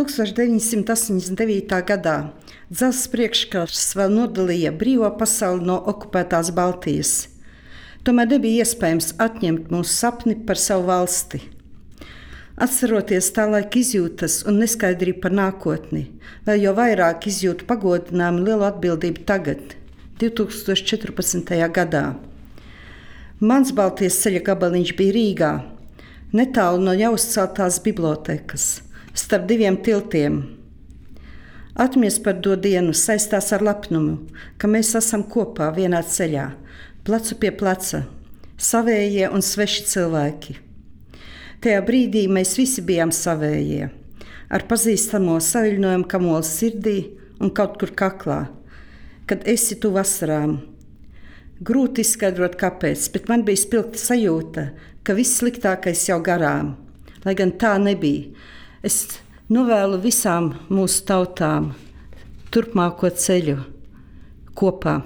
1989. gadā dzelzs priekškars vēl nodalīja brīvo pasauli no okupētās Baltijas. Tomēr nebija iespējams atņemt mūsu sapni par savu valsti. Atceroties tā laika izjūtas un neskaidrību par nākotni, vēl jau vairāk izjūtu pagodinājumu lielu atbildību tagad, 2014. gadā. Mans Baltijas ceļa gabaliņš bija Rīgā, netālu no jau uzceltās bibliotekas, starp diviem tiltiem. Atmiņas par to dienu saistās ar lepnumu, ka mēs esam kopā vienā ceļā, plecu pie pleca, savējie un sveši cilvēki. Tajā brīdī mēs visi bijām savējie, ar pazīstamo saviļņojumu kamoli sirdī un kaut kur kaklā, kad esi tu vasarām. Grūti izskaidrot, kāpēc, bet man bija spilgta sajūta, ka viss sliktākais jau garām, lai gan tā nebija. Es novēlu visām mūsu tautām turpmāko ceļu kopā.